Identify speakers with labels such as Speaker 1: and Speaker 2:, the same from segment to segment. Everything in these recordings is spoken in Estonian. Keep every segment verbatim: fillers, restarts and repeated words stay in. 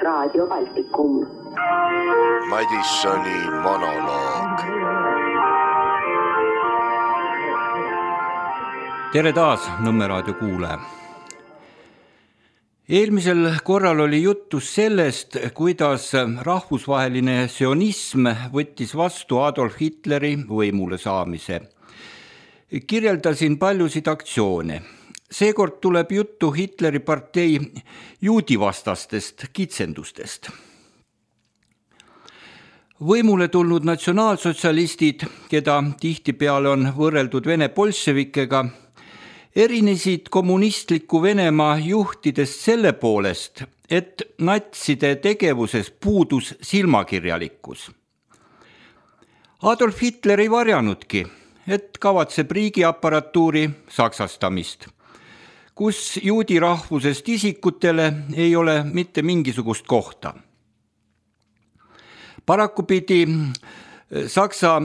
Speaker 1: Raadio Baltikum.
Speaker 2: Madissoni monoloog.
Speaker 3: Tere taas, Nõmme raadio kuulaja. Eelmisel korral oli jutus sellest, kuidas rahvusvaheline sionism võttis vastu Adolf Hitleri võimule saamise. Kirjeldasin paljusid aktsioone. Seekord tuleb juttu Hitleri partei juudivastastest kitsendustest. Võimule tulnud natsionaalsotsialistid, keda tihtipeale on võrreldud Vene bolševikega, erinesid kommunistliku Venemaa juhtidest selle poolest, et natside tegevuses puudus silmakirjalikkus. Adolf Hitler ei varjanudki, et kavatseb riigiaparatuuri saksastamist, kus juudi rahvusest isikutele ei ole mitte mingisugust kohta. Paraku pidi Saksa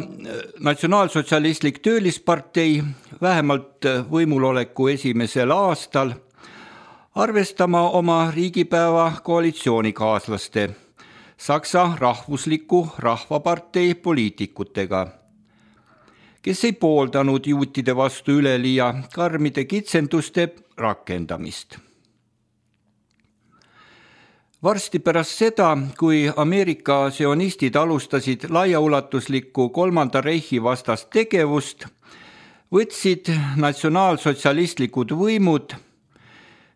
Speaker 3: natsionaalsotsialistlik töölispartei vähemalt võimuloleku esimesel aastal arvestama oma riigipäeva koalitsioonikaaslaste Saksa rahvusliku rahvapartei poliitikutega, kes ei pooldanud juutide vastu üleliia karmide kitsenduste rakendamist. Varsti pärast seda, kui Ameerika sionistid alustasid laiaulatuslikku kolmanda reihi vastast tegevust, võtsid natsionaalsotsialistlikud võimud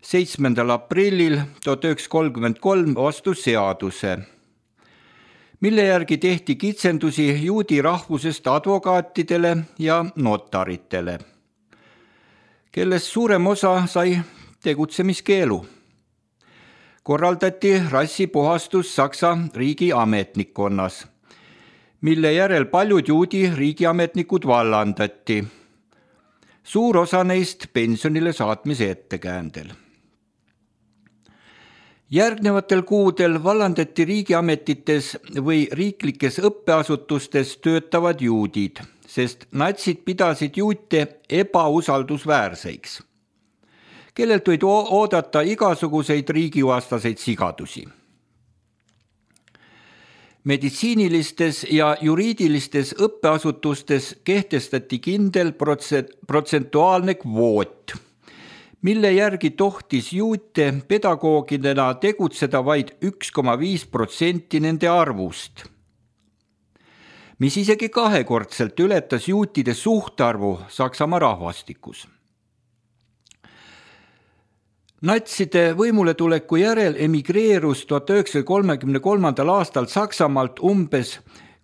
Speaker 3: seitsmendal aprillil tuhat üheksasada kolmkümmend kolm vastu seaduse, mille järgi tehti kitsendusi juudi rahvusest advokaatidele ja notaritele, kellest suurem osa sai tegutsemiskeelu. Korraldati rassipuhastus Saksa riigi ametnikkonnas, mille järel paljud juudi riigiametnikud vallandati, suur osa neist pensionile saatmise ettekäändel. Järgnevatel kuudel vallandati riigiametites või riiklikes õppeasutustes töötavad juudid, sest natsid pidasid juute ebausaldusväärseiks, kellelt võid oodata igasuguseid riigivastaseid sigadusi. Meditsiinilistes ja juriidilistes õppeasutustes kehtestati kindel protsentuaalne kvoot, mille järgi tohtis juute pedagoogidena tegutseda vaid üks koma viis protsenti nende arvust, mis isegi kahekordselt ületas juutide suhtarvu Saksamaa rahvastikus. Natside võimuletuleku järel emigreerus tuhat üheksasaja kolmekümne kolmandal aastal Saksamaalt umbes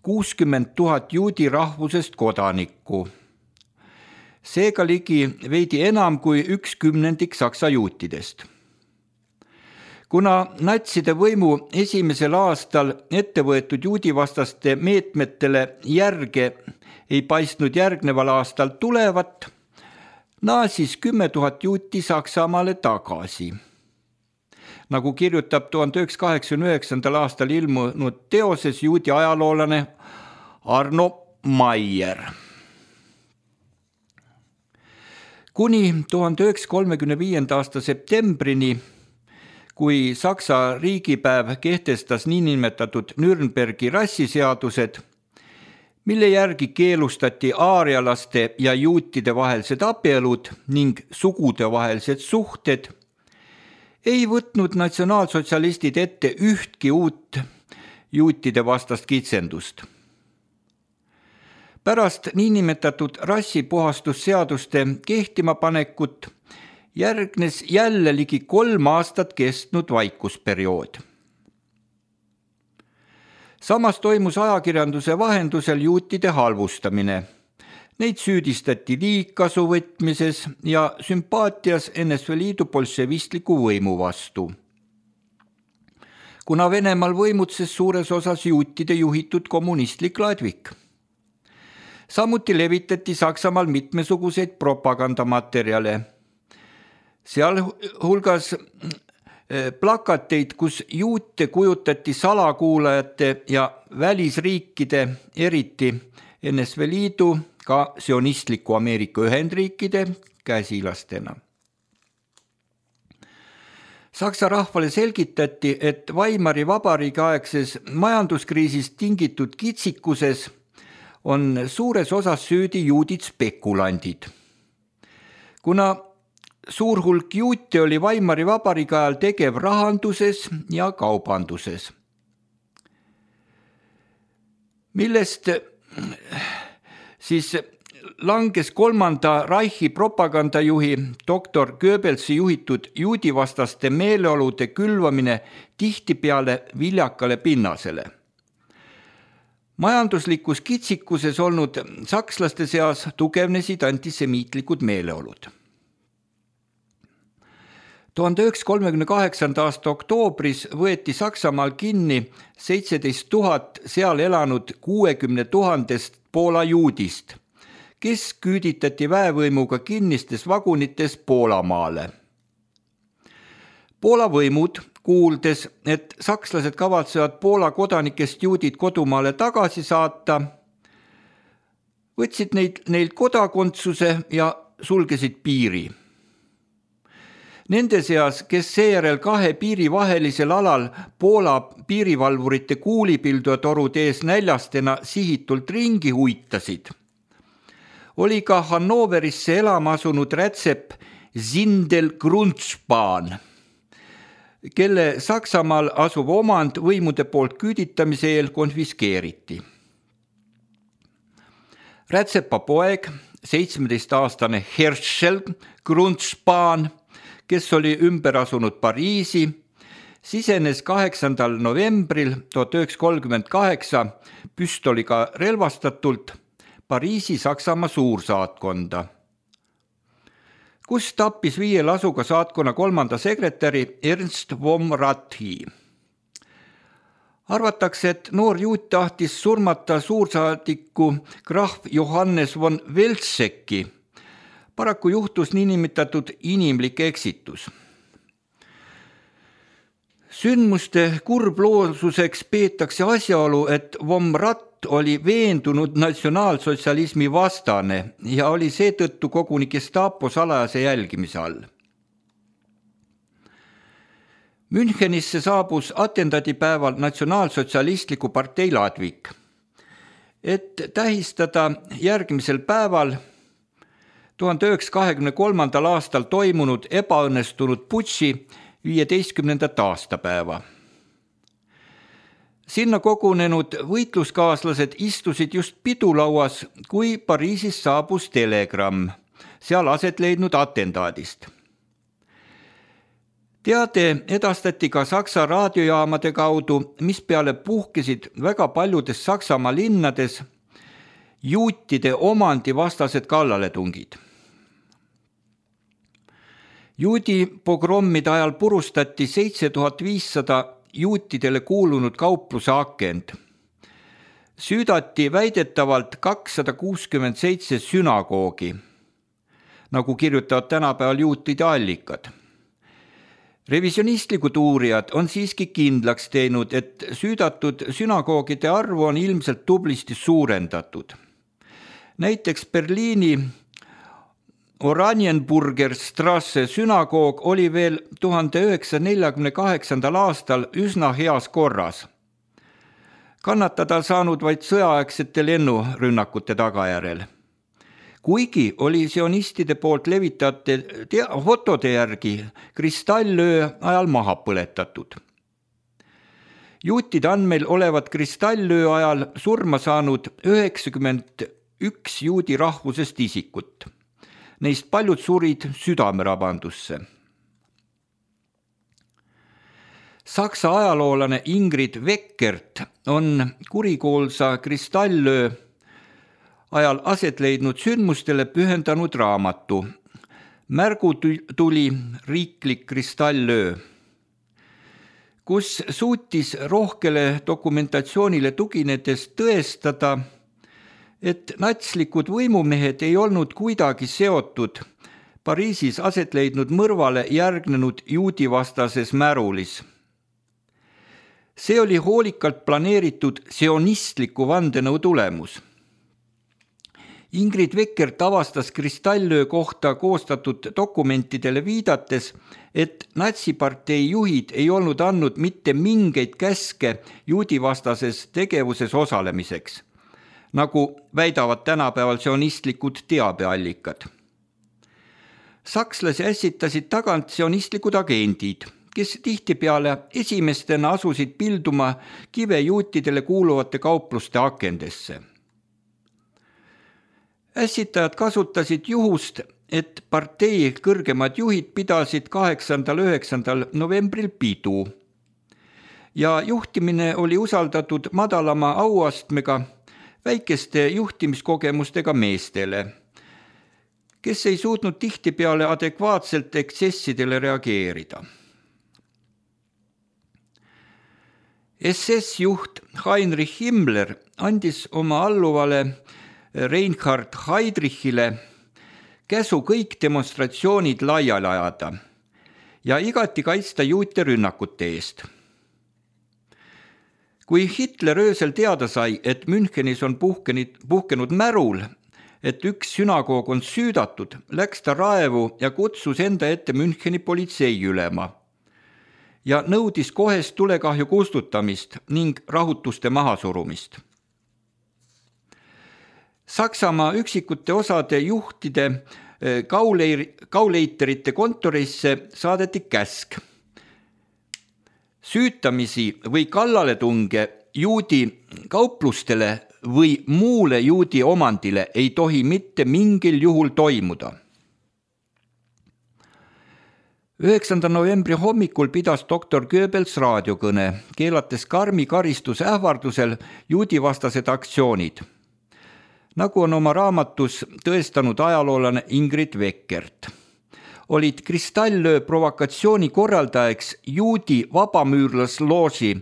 Speaker 3: kuuskümmend tuhat juudi rahvusest kodanikku. Seega ligi veidi enam kui üks kümnendik saksa juutidest. Kuna natside võimu esimesel aastal ettevõetud juudivastaste meetmetele järge ei paistnud järgneval aastal tulevat, naasis kümme tuhat juuti Saksamaale tagasi. Nagu kirjutab tuhande üheksasaja kaheksakümne üheksandal aastal ilmunud teoses juudi ajaloolane Arno Maier. Kuni tuhande üheksasaja kolmekümne viienda aasta septembrini, kui Saksa riigipäev kehtestas niinimetatud Nürnbergi rassiseadused, mille järgi keelustati aarialaste ja juutide vahelised abielud ning sugude vahelised suhted, ei võtnud natsionaalsotsialistid ette ühtki uut juutide vastast kitsendust. Pärast niinimetatud rassipuhastusseaduste kehtima panekut järgnes jälle ligi kolm aastat kestnud vaikusperiood. Samas toimus ajakirjanduse vahendusel juutide halvustamine. Neid süüdistati liigkasu võtmises ja sümpaatias N S V Liidu bolševistliku võimu vastu. Kuna Venemaal võimutses suures osas juutide juhitud kommunistlik ladvik. Samuti levitati Saksamaal mitmesuguseid propagandamaterjale. Seal hulgas plakateid, kus juute kujutati salakuulajate ja välisriikide, eriti N S V Liidu, ka sionistliku Ameerika Ühendriikide käsilastena. Saksa rahvale selgitati, et Weimari vabariigi aegses majanduskriisist tingitud kitsikuses on suures osas süüdi juudid spekulandid. Kuna suur hulk juute oli Weimari vabariigi ajal tegev rahanduses ja kaubanduses, millest siis langes kolmanda Reichi propagandajuhi doktor Goebbelsi juhitud juudivastaste meeleolude külvamine tihtipeale viljakale pinnasele. Majanduslikus kitsikuses olnud sakslaste seas tugevnesid antisemiitlikud meeleolud. tuhande üheksasaja kolmekümne kaheksanda aasta oktoobris võeti Saksamaal kinni seitseteist tuhat seal elanud kuuekümne tuhandest Poola juudist, kes küüditati väevõimuga kinnistes vagunites Poolamaale. Poola võimud, kuuldes, et sakslased kavatsevad Poola kodanikest juudid kodumaale tagasi saata, võtsid neid, neilt kodakondsuse ja sulgesid piiri. Nende seas, kes seejärel kahe piiri vahelisel alal Poola piirivalvurite kuulipildujatorud ees näljastena sihitult ringi huitasid, oli ka Hannoverisse elama asunud rätsep Zindel Grundspahn, kelle Saksamaal asuv omand võimude poolt küüditamise eel konfiskeeriti. Rätsepa poeg, seitsmeteistaastane Herschel Grundspahn, kes oli ümber asunud Pariisi, sisenes kaheksandal novembril tuhat üheksasada kolmkümmend kaheksa püstoliga relvastatult Pariisi Saksamaa suursaatkonda, kus tappis viie lasuga saatkonna kolmanda sekretäri Ernst von Rathi. Arvatakse, et noor juut tahtis surmata suursaadiku krahv Johannes von Welzecki. Paraku juhtus niinimetatud inimlik eksitus. Sündmuste kurbloosuseks peetakse asjaolu, et von Rath oli veendunud natsionaalsotsialismi vastane ja oli seetõttu koguni Gestapo salajase jälgimise all. Münchenisse saabus atentaadipäeval natsionaalsotsialistliku partei ladvik, et tähistada järgmisel päeval tuhande üheksasaja kahekümne kolmandal aastal toimunud ebaõnnestunud putši viieteistkümnendat aastapäeva. Sinna kogunenud võitluskaaslased istusid just pidulauas, kui Pariisis saabus telegramm seal aset leidnud atentaadist. Teade edastati ka Saksa raadiojaamade kaudu, mis peale puhkesid väga paljudes Saksamaa linnades juutide omandi vastased kallaletungid. Juudi pogrommide ajal purustati seitse tuhat viissada juutidele kuulunud kaupluse akend. Süüdati väidetavalt kakssada kuuskümmend seitse sünagoogi, nagu kirjutavad tänapäeval juutide allikad. Revisionistlikud uurijad on siiski kindlaks teinud, et süüdatud sünagoogide arvu on ilmselt tublisti suurendatud. Näiteks Berliini Oranienburger Strasse sünagoog oli veel tuhande üheksasaja neljakümne kaheksandal aastal üsna heas korras, kannatada saanud vaid sõjaaegsete lennurünnakute tagajärel. Kuigi oli sionistide poolt levitate fotode järgi kristallöö ajal maha põletatud. Juutide andmeil olevat kristallöö ajal surma saanud üheksakümmend üks juudi rahvusest isikut. Neist paljud surid südamerabandusse. Saksa ajaloolane Ingrid Weckert on kurikuulsa kristallöö ajal aset leidnud sündmustele pühendanud raamatu Märgutuli riiklik kristallöö, kus suutis rohkele dokumentatsioonile tuginedes tõestada, et natslikud võimumehed ei olnud kuidagi seotud Pariisis aset leidnud mõrvale järgnenud juudivastases märulis. See oli hoolikalt planeeritud sionistliku vandenõu tulemus. Ingrid Veckert avastas Kristallöö kohta koostatud dokumentidele viidates, et natsipartei juhid ei olnud andnud mitte mingeid käske juudivastases tegevuses osalemiseks, nagu väidavad tänapäeval sionistlikud teabeallikad. Sakslasi ässitasid tagant sionistlikud agendid, kes tihtipeale esimestena asusid pilduma kive juutidele kuuluvate kaupluste akendesse. Ässitajad kasutasid juhust, et partei kõrgemad juhid pidasid kaheksandal üheksandal novembril pidu ja juhtimine oli usaldatud madalama auastmega väikeste juhtimiskogemustega meestele, kes ei suutnud tihtipeale adekvaatselt eksessidele reageerida. S S-juht Heinrich Himmler andis oma alluvale Reinhard Heydrichile käsu kõik demonstratsioonid laiali ajada ja igati kaitsta juute rünnakute eest. Kui Hitler öösel teada sai, et Münchenis on puhkenid, puhkenud märul, et üks sünagoog on süüdatud, läks ta raevu ja kutsus enda ette Müncheni politseiülema ja nõudis kohest tulekahju kustutamist ning rahutuste mahasurumist. Saksamaa üksikute osade juhtide kauleir, kauleiterite kontorisse saadeti käsk. Süütamisi või kallaletunge juudi kauplustele või muule juudi omandile ei tohi mitte mingil juhul toimuda. üheksandal novembri hommikul pidas doktor Goebbels raadiokõne, keelates karmi karistuse ähvardusel juudivastased aktsioonid, nagu on oma raamatus tõestanud ajaloolane Ingrid Veckert. Olid Kristallöö provokatsiooni korraldajaks juudi vabamüürlaslooži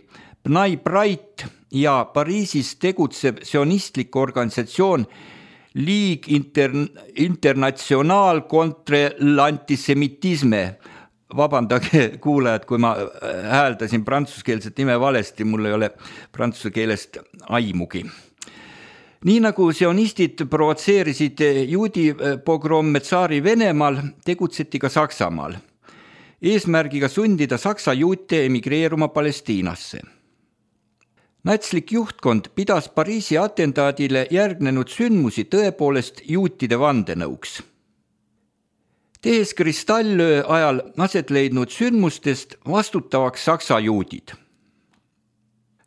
Speaker 3: Bnai Brait ja Pariisis tegutsev sionistlik organisatsioon Ligue Internationale contre l'antisemitisme. Vabandage kuulajad, kui ma hääldasin prantsuskeelset nime valesti, mul ei ole prantsuse keelest aimugi. Nii nagu sionistid provotseerisid juudi pogromme tsaari Venemaal, tegutseti ka Saksamaal, eesmärgiga sundida saksa juute emigreeruma Palestiinasse. Natslik juhtkond pidas Pariisi atentaadile järgnenud sündmusi tõepoolest juutide vandenõuks. Tehes Kristallöö ajal aset leidnud sündmustest vastutavaks saksa juudid.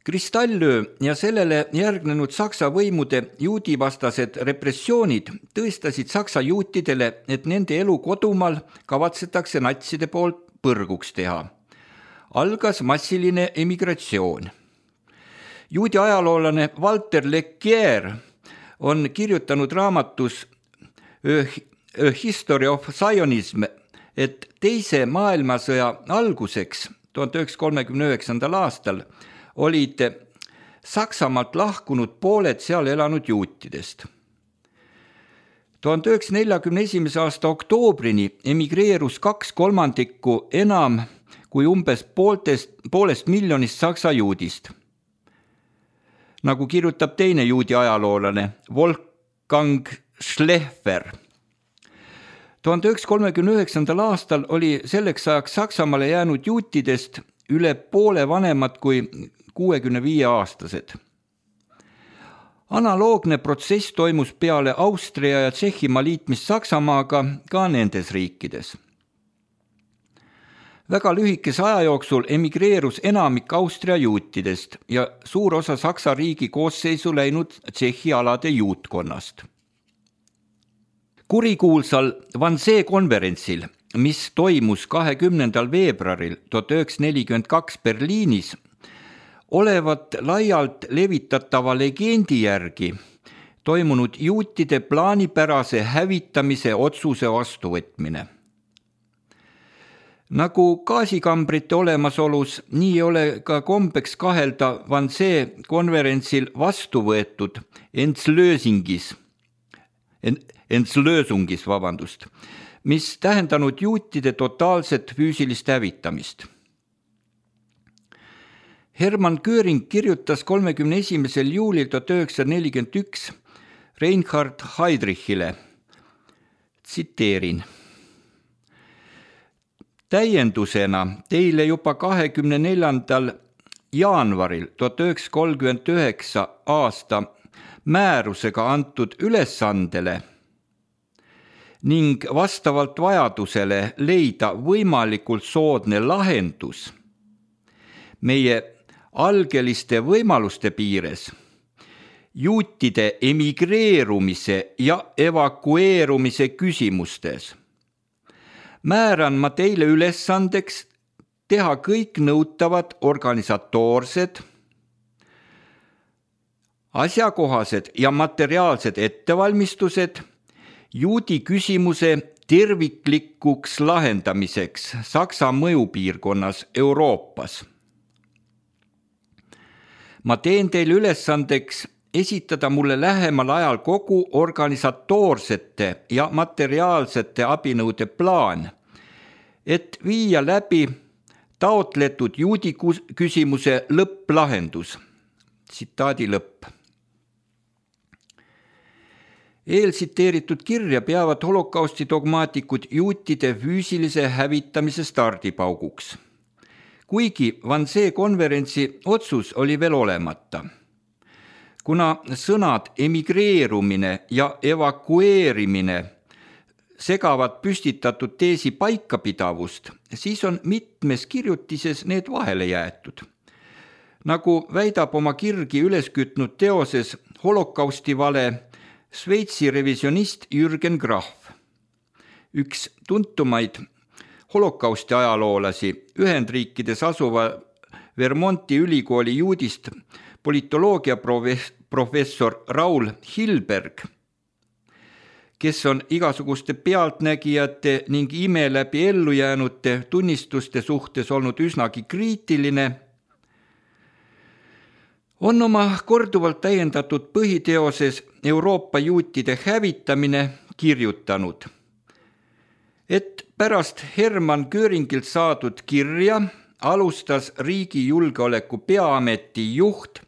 Speaker 3: Kristallöö ja sellele järgnenud saksa võimude juudivastased repressioonid tõestasid saksa juutidele, et nende elu kodumaal kavatsetakse natside poolt põrguks teha. Algas massiline emigratsioon. Juudi ajaloolane Walter Lequier on kirjutanud raamatus A History of Zionism, et teise maailmasõja alguseks tuhande üheksasaja kolmekümne üheksandal aastal olid Saksamaalt lahkunud pooled seal elanud juutidest. tuhande üheksasaja neljakümne esimese aasta oktoobrini emigreerus kaks kolmandikku enam kui umbes pooltest, poolest miljonist saksa juudist. Nagu kirjutab teine juudi ajaloolane Wolfgang Schleffer. tuhande üheksasaja kolmekümne üheksandal aastal oli selleks ajaks Saksamaale jäänud juutidest üle poole vanemad kui kuuekümne viie aastased. Analoogne protsess toimus peale Austria ja Tšehhimaa liitmist Saksamaaga ka nendes riikides. Väga lühikese aja jooksul emigreerus enamik Austria juutidest ja suur osa Saksa riigi koosseisu läinud Tšehhi alade juutkonnast. Kurikuulsal Wannsee konverentsil, mis toimus kahekümnendal veebruaril tuhat üheksasada nelikümmend kaks Berliinis, olevat laialt levitatava legendi järgi toimunud juutide plaanipärase hävitamise otsuse vastuvõtmine. Nagu gaasikambrite olemasolus, nii ole ka kombeks kahelda Wannsee konverentsil vastu võetud Entslösingis, Entslösungis, vabandust, mis tähendanud juutide totaalset füüsilist hävitamist. Hermann Göring kirjutas kolmekümne esimesel juulil tuhat üheksasada nelikümmend üks Reinhard Heydrichile. Tsiteerin. Täiendusena teile juba kahekümne neljandal jaanuaril tuhat üheksasada kolmkümmend üheksa aasta määrusega antud ülesandele ning vastavalt vajadusele leida võimalikult soodne lahendus meie algeliste võimaluste piires juutide emigreerumise ja evakueerumise küsimustes. Määran ma teile ülesandeks teha kõik nõutavad organisatoorsed, asjakohased ja materiaalsed ettevalmistused juudi küsimuse terviklikuks lahendamiseks Saksa mõjupiirkonnas Euroopas. Ma teen teile ülesandeks esitada mulle lähemal ajal kogu organisatoorsete ja materiaalsete abinõude plaan, et viia läbi taotletud juudi küsimuse lõpplahendus. Tsitaadi lõpp. Eeltsiteeritud kirja peavad holokausti dogmaatikud juutide füüsilise hävitamise stardipauguks. Kuigi Wannsee konverentsi otsus oli veel olemata. Kuna sõnad emigreerumine ja evakueerimine segavad püstitatud teesi paikapidavust, siis on mitmes kirjutises need vahele jäetud. Nagu väidab oma kirgi üles kütnud teoses holokausti vale Šveitsi revisionist Jürgen Graf. Üks tuntumaid holokausti ajaloolasi Ühendriikides asuva Vermonti ülikooli juudist politoloogia professor Raul Hilberg, kes on igasuguste pealtnägijate ning ime läbi ellujäänute tunnistuste suhtes olnud üsnagi kriitiline, on oma korduvalt täiendatud põhiteoses Euroopa juutide hävitamine kirjutanud, et pärast Hermann Göringilt saadud kirja alustas riigi julgeoleku peaameti juht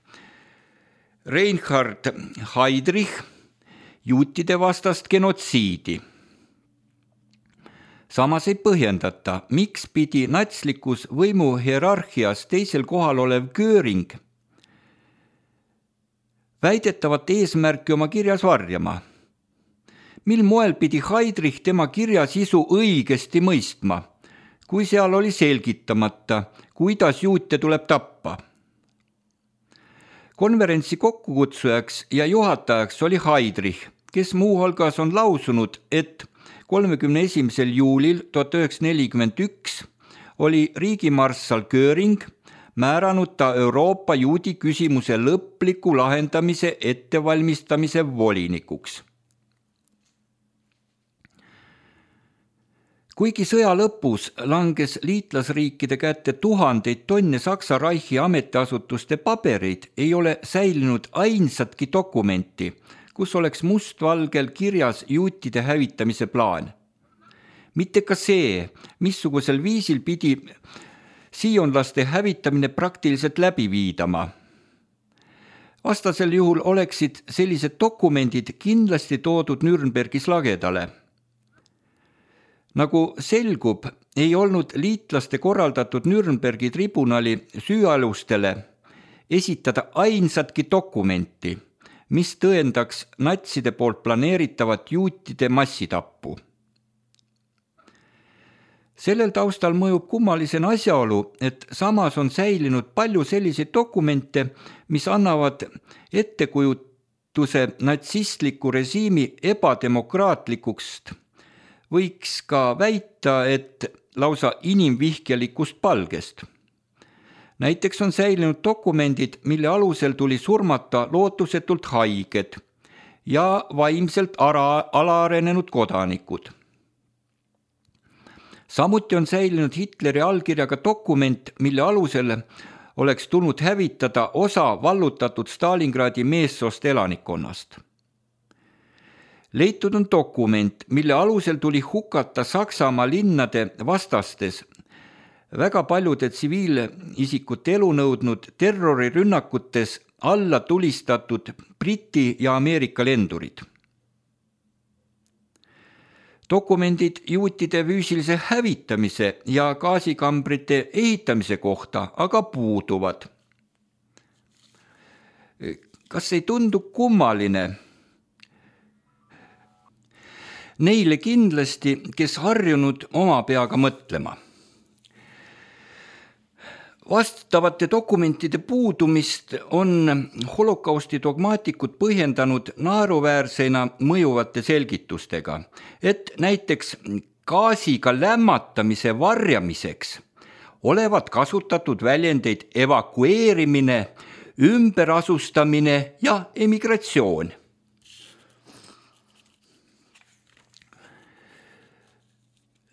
Speaker 3: Reinhard Heydrich juutide vastast genotsiidi. Samas ei põhjendata, miks pidi natslikus võimuhierarhias teisel kohal olev Göring väidetavat eesmärki oma kirjas varjama. Mil moel pidi Heydrich tema kirja sisu õigesti mõistma, kui seal oli selgitamata, kuidas juute tuleb tappa. Konverentsi kokkukutsujaks ja juhatajaks oli Heydrich, kes muuhulgas on lausunud, et kolmekümne esimesel juulil tuhat üheksasada nelikümmend üks oli riigimarssal Göring määranud ta Euroopa juudi küsimuse lõpliku lahendamise ettevalmistamise volinikuks. Kuigi sõja lõpus langes liitlasriikide kätte tuhandeid tonne Saksa Reichi ametiasutuste pabereid, ei ole säilinud ainsatki dokumenti, kus oleks mustvalgel kirjas juutide hävitamise plaan. Mitte ka see, missugusel viisil pidi siionlaste hävitamine praktiliselt läbi viidama. Vastasel juhul oleksid sellised dokumendid kindlasti toodud Nürnbergis lagedale. Nagu selgub, ei olnud liitlaste korraldatud Nürnbergi tribunali süüalustele esitada ainsatki dokumenti, mis tõendaks natside poolt planeeritavat juutide massitappu. Sellel taustal mõjub kummalisena asjaolu, et samas on säilinud palju selliseid dokumente, mis annavad ettekujutuse natsistliku režiimi ebademokraatlikust, võiks ka väita, et lausa inimvihkelikust palgest. Näiteks on säilinud dokumendid, mille alusel tuli surmata lootusetult haiged ja vaimselt ara, alaarenenud kodanikud. Samuti on säilinud Hitleri allkirjaga dokument, mille alusel oleks tulnud hävitada osa vallutatud Stalingradi meessoost elanikkonnast. Leitud on dokument, mille alusel tuli hukata Saksamaa linnade vastastes väga paljude tsiviilisikute elu nõudnud terrorirünnakutes alla tulistatud Briti ja Ameerika lendurid. Dokumendid juutide füüsilise hävitamise ja gaasikambrite ehitamise kohta aga puuduvad. Kas ei tundu kummaline? Neile kindlasti, kes harjunud oma peaga mõtlema. Vastavate dokumentide puudumist on holokausti dogmaatikud põhjendanud naeruväärseina mõjuvate selgitustega, et näiteks gaasiga lämmatamise varjamiseks olevat kasutatud väljendeid evakueerimine, ümberasustamine ja emigratsioon.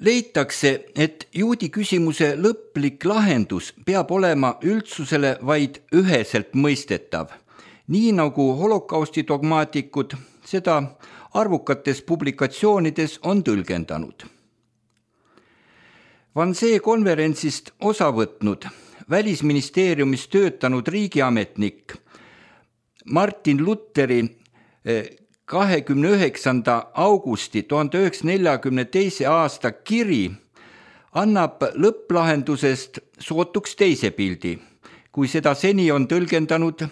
Speaker 3: Leitakse, et juudi küsimuse lõplik lahendus peab olema üldsusele vaid üheselt mõistetav, nii nagu holokausti dogmaatikud seda arvukates publikatsioonides on tõlgendanud. Wannsee konverentsist osa võtnud välisministeeriumis töötanud riigiametnik Martin Lutheri kahekümne üheksanda augusti tuhande üheksasaja neljakümne teise aasta kiri annab lõpplahendusest sootuks teise pildi, kui seda seni on tõlgendanud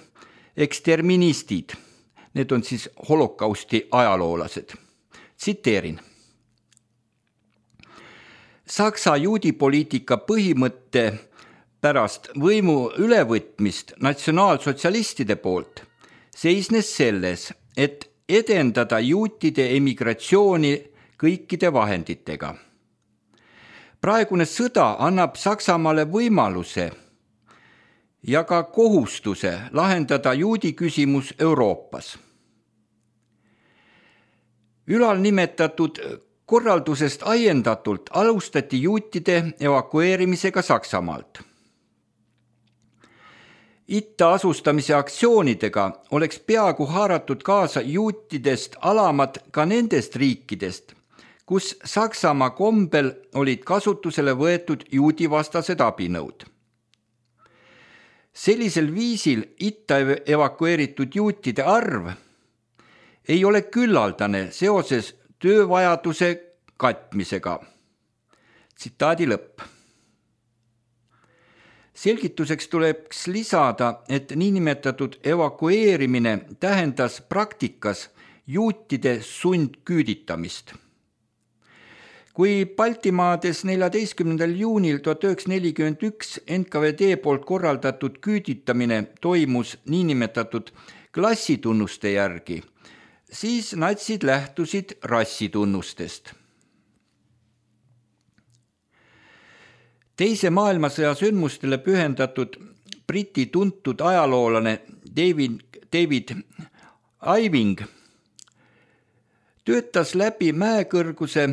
Speaker 3: eksterministid. Need on siis holokausti ajaloolased. Tsiteerin. Saksa juudipoliitika põhimõtte pärast võimu ülevõtmist natsionaalsotsialistide poolt seisnes selles, et edendada juutide emigratsiooni kõikide vahenditega. Praegune sõda annab Saksamaale võimaluse ja ka kohustuse lahendada juudi küsimus Euroopas. Ülalnimetatud korraldusest ajendatult alustati juutide evakueerimisega Saksamaalt. Itta asustamise aktsioonidega oleks peaaegu haaratud kaasa juutidest alamad ka nendest riikidest, kus Saksamaa kombel olid kasutusele võetud juudivastased abinõud. Sellisel viisil itta evakueeritud juutide arv ei ole küllaldane seoses töövajaduse katmisega. Tsitaadi lõpp. Selgituseks tuleks lisada, et niinimetatud evakueerimine tähendas praktikas juutide sundküüditamist. Kui Baltimaades neljateistkümnendal juunil tuhat üheksasada nelikümmend üks N K V D poolt korraldatud küüditamine toimus niinimetatud klassitunnuste järgi, siis natsid lähtusid rassitunnustest. Teise maailmasõja sündmustele pühendatud Briti tuntud ajaloolane David, David Iving töötas läbi mäekõrguse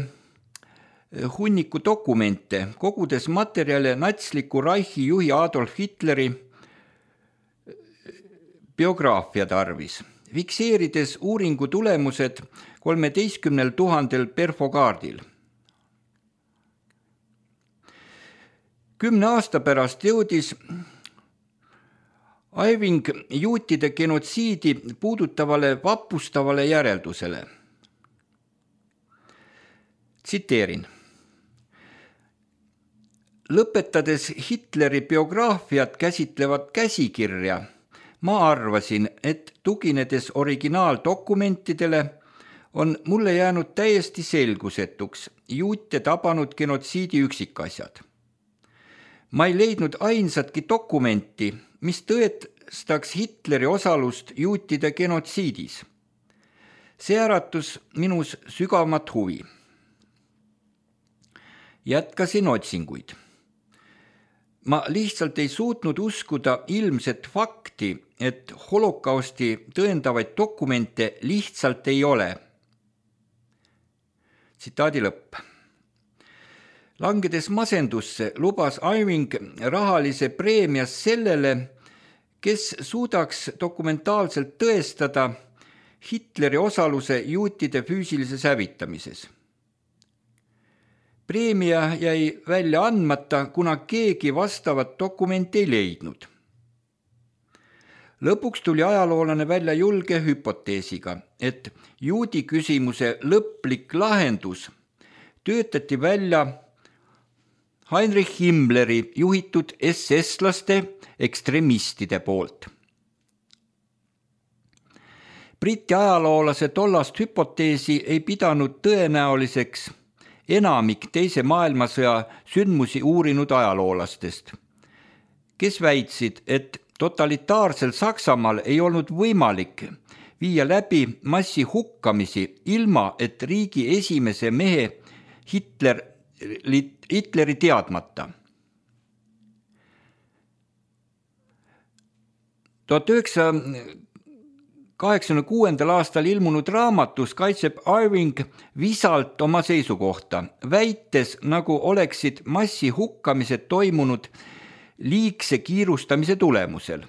Speaker 3: hunniku dokumente, kogudes materjale natsliku Reichi juhi Adolf Hitleri biograafia tarvis, fikseerides uuringu tulemused kolmeteistkümnel tuhandel perfokaardil. Kümne aasta pärast jõudis Iving juutide genotsiidi puudutavale vapustavale järeldusele. Tsiteerin. Lõpetades Hitleri biograafiat käsitlevat käsikirja, ma arvasin, et tuginedes originaaldokumentidele on mulle jäänud täiesti selgusetuks juute tabanud genotsiidi üksikasjad. Ma ei leidnud ainsatki dokumenti, mis tõestaks Hitleri osalust juutide genotsiidis. See äratus minus sügavamat huvi. Jätkasin otsinguid. Ma lihtsalt ei suutnud uskuda ilmset fakti, et holokausti tõendavaid dokumente lihtsalt ei ole. Tsitaadi lõpp. Langedes masendusse lubas Iving rahalise preemia sellele, kes suudaks dokumentaalselt tõestada Hitleri osaluse juutide füüsilises hävitamises. Preemia jäi välja andmata, kuna keegi vastavat dokumenti ei leidnud. Lõpuks tuli ajaloolane välja julge hüpoteesiga, et juudi küsimuse lõplik lahendus töötati välja Heinrich Himmleri juhitud S S-laste ekstremistide poolt. Briti ajaloolase tollast hüpoteesi ei pidanud tõenäoliseks enamik teise maailmasõja sündmusi uurinud ajaloolastest, kes väitsid, et totalitaarsel Saksamaal ei olnud võimalik viia läbi massi hukkamisi ilma, et riigi esimese mehe Hitler, Hitleri teadmata. tuhat üheksasaja kaheksakümne kuuendal aastal ilmunud raamatus kaitseb Irving visalt oma seisukohta, väites, nagu oleksid massi hukkamised toimunud liigse kiirustamise tulemusel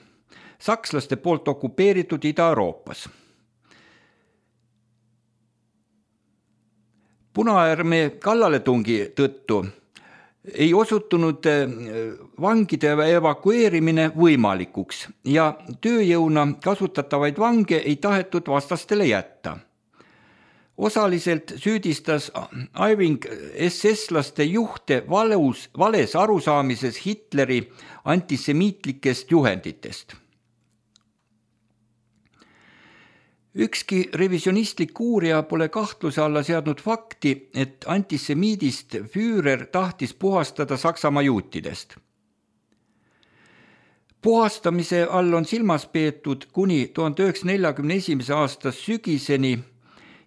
Speaker 3: sakslaste poolt okupeeritud Ida-Euroopas. Punaarmee kallaletungi tõttu ei osutunud vangide evakueerimine võimalikuks ja tööjõuna kasutatavaid vange ei tahetud vastastele jätta. Osaliselt süüdistas Irving S S-laste juhte valus, vales arusaamises Hitleri antisemiitlikest juhenditest. Ükski revisionistlik uurija pole kahtluse alla seadnud fakti, et antisemiidist Führer tahtis puhastada Saksamaa juutidest. Puhastamise all on silmas peetud kuni tuhande üheksasaja neljakümne esimese aasta sügiseni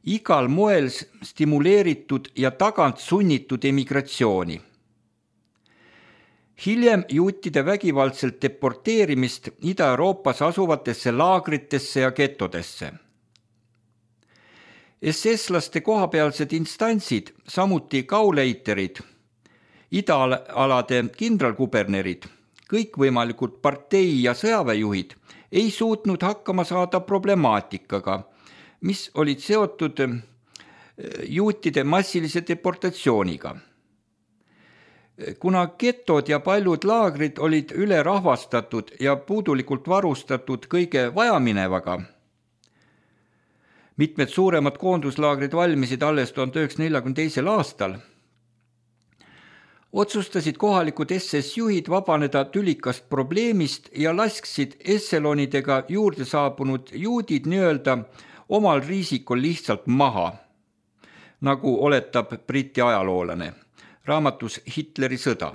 Speaker 3: igal moel stimuleeritud ja tagant sunnitud emigratsiooni. Hiljem juutide vägivaldselt deporteerimist Ida-Euroopas asuvatesse laagritesse ja getodesse. S S-laste kohapealsed instantsid, samuti gauleiterid, idaalade kindralkubernerid, kõikvõimalikud partei- ja sõjaväejuhid ei suutnud hakkama saada problemaatikaga, mis olid seotud juutide massilise deportatsiooniga. Kuna getod ja paljud laagrid olid ülerahvastatud ja puudulikult varustatud kõige vajaminevaga, mitmed suuremad koonduslaagrid valmisid alles tuhande üheksasaja neljakümne teisel aastal, otsustasid kohalikud S S-juhid vabaneda tülikast probleemist ja lasksid esselonidega juurde saabunud juudid nii-öelda omal riisikul lihtsalt maha, nagu oletab Briti ajaloolane raamatus Hitleri sõda.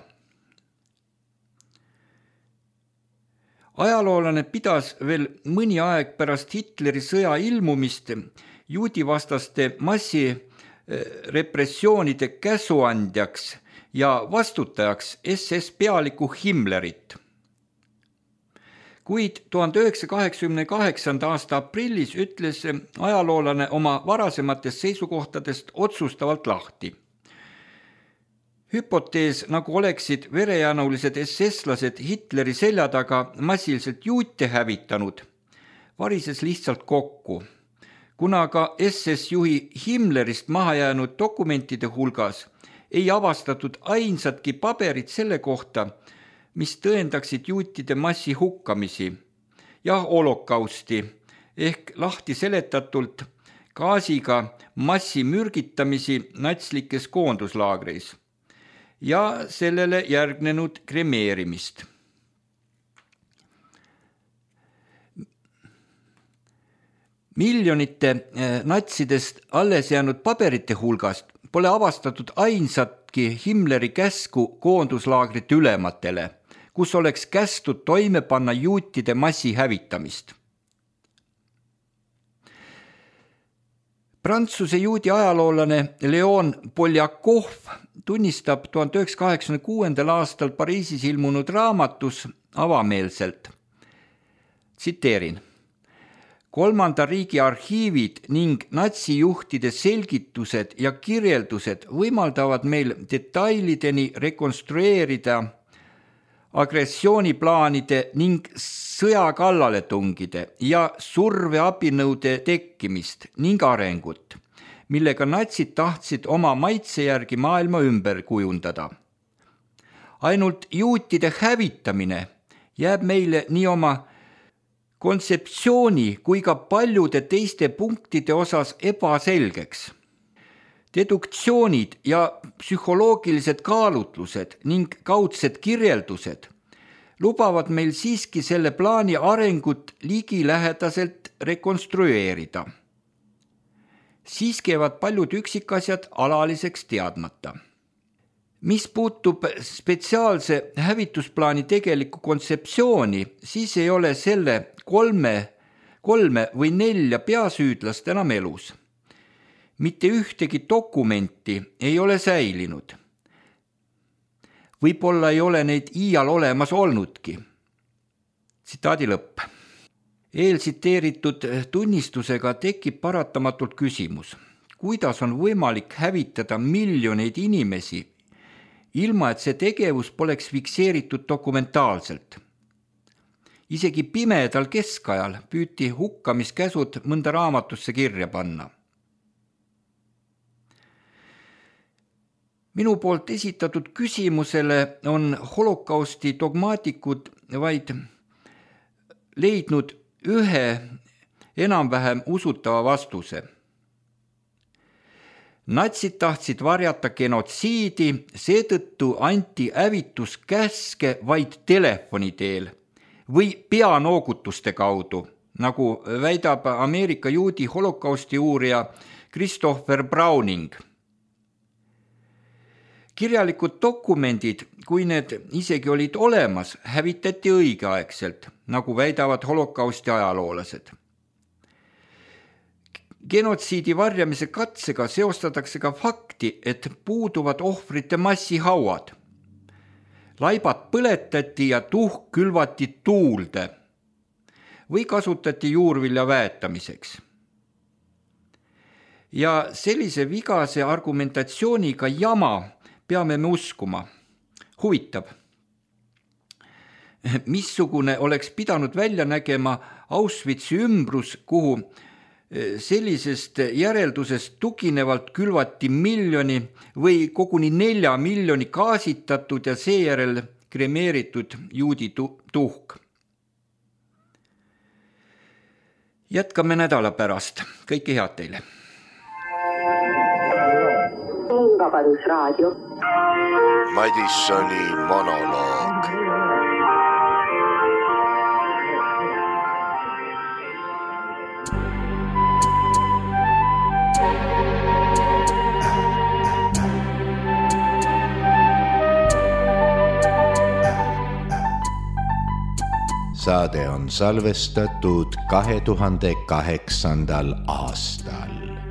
Speaker 3: Ajaloolane pidas veel mõni aeg pärast Hitleri sõja ilmumist juudivastaste massirepressioonide käsuandjaks ja vastutajaks S S pealiku Himmlerit. Kuid tuhande üheksasaja kaheksakümne kaheksanda aasta aprillis ütles ajaloolane oma varasematest seisukohtadest otsustavalt lahti. Hüpotees, nagu oleksid verejanulised S S-lased Hitleri selja taga massiliselt juute hävitanud, varises lihtsalt kokku, kuna ka S S-juhi Himmlerist maha jäänud dokumentide hulgas ei avastatud ainsatki paberit selle kohta, mis tõendaksid juutide massi hukkamisi ja holokausti ehk lahti seletatult gaasiga massi mürgitamisi natslikes koonduslaagreis ja sellele järgnenud kremeerimist. Miljonite natsidest alles jäänud paberite hulgast pole avastatud ainsatki Himmleri käsku koonduslaagrite ülematele, kus oleks kästud toime panna juutide massi hävitamist. Prantsuse juudi ajaloolane Leon Poljakov tunnistab tuhande üheksasaja kaheksakümne kuuendal aastal Pariisis ilmunud raamatus avameelselt. Tsiteerin. Kolmanda riigi arhiivid ning natsijuhtide selgitused ja kirjeldused võimaldavad meil detailideni rekonstrueerida agressiooniplaanide ning sõjakallaletungide ja surveabinõude tekkimist ning arengut, millega natsid tahtsid oma maitse järgi maailma ümber kujundada. Ainult juutide hävitamine jääb meile nii oma kontseptsiooni kui ka paljude teiste punktide osas ebaselgeks. Deduktsioonid ja psühholoogilised kaalutlused ning kaudsed kirjeldused lubavad meil siiski selle plaani arengut ligilähedaselt rekonstrueerida. Siis käivad paljud üksikasjad alaliseks teadmata. Mis puutub spetsiaalse hävitusplaani tegelikku kontseptsiooni, siis ei ole selle kolme, kolme või nelja peasüüdlast enam elus. Mitte ühtegi dokumenti ei ole säilinud. Võib-olla ei ole neid iial olemas olnudki. Tsitaadi lõpp. Eeltsiteeritud tunnistusega tekib paratamatult küsimus, kuidas on võimalik hävitada miljoneid inimesi, ilma et see tegevus poleks fikseeritud dokumentaalselt. Isegi pimedal keskajal püüti hukkamiskäsud mõnda raamatusse kirja panna. Minu poolt esitatud küsimusele on holokausti dogmaatikud vaid leidnud ühe enam-vähem usutava vastuse. Natsid tahtsid varjata genotsiidi, seetõttu anti hävituskäske vaid telefoni teel või peanoogutuste kaudu, nagu väidab Ameerika juudi holokausti uurija Christopher Browning. Kirjalikud dokumendid, kui need isegi olid olemas, hävitati õigeaegselt, nagu väidavad holokausti ajaloolased. Genotsiidi varjamise katsega seostatakse ka fakti, et puuduvad ohvrite massihauad. Laibad põletati ja tuhk külvati tuulde või kasutati juurvilja väetamiseks. Ja sellise vigase argumentatsiooniga jama peame me uskuma. Huvitab, missugune oleks pidanud välja nägema Auschwitzi ümbrus, kuhu sellisest järeldusest tuginevalt külvati miljoni või koguni nelja miljoni gaasitatud ja seejärel kremeeritud juudi tuhk. Jätkame nädala pärast. Kõike head teile.
Speaker 1: Vabadusraadio.
Speaker 2: Madissoni monoloog.
Speaker 4: Saade on salvestatud kahe tuhande kaheksandal aastal.